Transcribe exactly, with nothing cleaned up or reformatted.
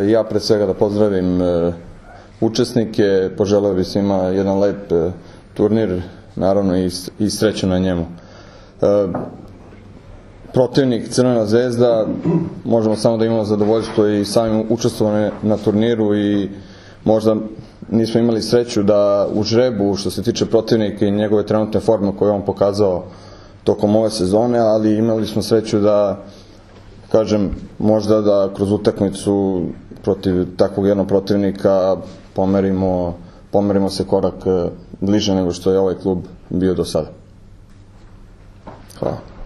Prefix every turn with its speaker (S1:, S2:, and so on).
S1: Ja pred svega da pozdravim učesnike, poželeo bih svima jedan lep turnir, naravno i sreću na njemu. Protivnik Crvena zvezda, možemo samo da imamo zadovoljstvo i samim učestvovanjem na turniru i možda nismo imali sreću da u žrebu što se tiče protivnika i njegove trenutne forme koje je on pokazao tokom ove sezone, ali imali smo sreću da, kažem, možda da kroz utakmicu protiv takvog jednog protivnika pomerimo, pomerimo se korak bliže nego što je ovaj klub bio do sada. Hvala.